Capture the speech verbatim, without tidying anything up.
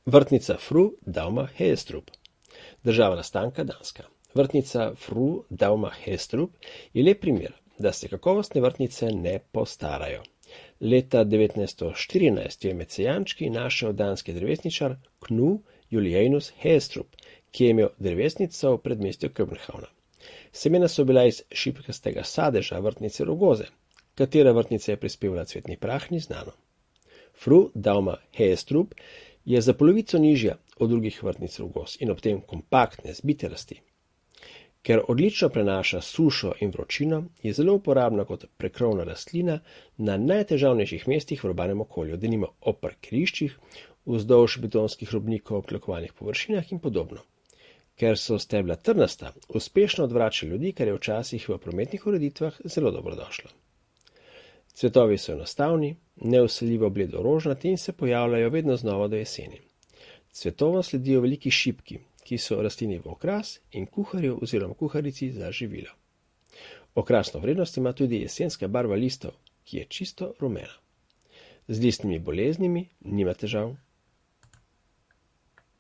Vrtnica Fru Dauma Heestrup. Država nastanka Danska. Vrtnica Fru Dauma Heestrup je lep primer, da se kakovostne vrtnice ne postarajo. Leta devetnajststo štirinajst je med sejančki našel danski drevesničar Knud Julianus Heestrup, ki je imel drevesnico v predmestju Københavna. Semena so bila iz šipkastega sadeža vrtnice rogoze, katera vrtnica je prispevala cvetni prah, ni znano. Fru Dauma Heestrup je za polovico nižja od drugih vrtnic rogoz in ob tem kompaktne, zbite rasti. Ker odlično prenaša sušo in vročino, je zelo uporabna kot prekrovna rastlina na najtežavnejših mestih v urbanem okolju, denimo ob parkiriščih, vzdolž betonskih robnikov, ob tlakovalnih površinah in podobno. Ker so stebla trnasta, uspešno odvrača ljudi, kar je včasih v prometnih ureditvah zelo dobrodošlo. Cvetovi so enostavni, neuseljivo bledo rožnati in se pojavljajo vedno znova do jeseni. Cvetovom sledijo veliki šipki, ki so rastlini v okras in kuharju oziroma kuharici za živilo. Okrasno vrednost ima tudi jesenska barva listov, ki je čisto rumena. Z listnimi boleznimi nima težav.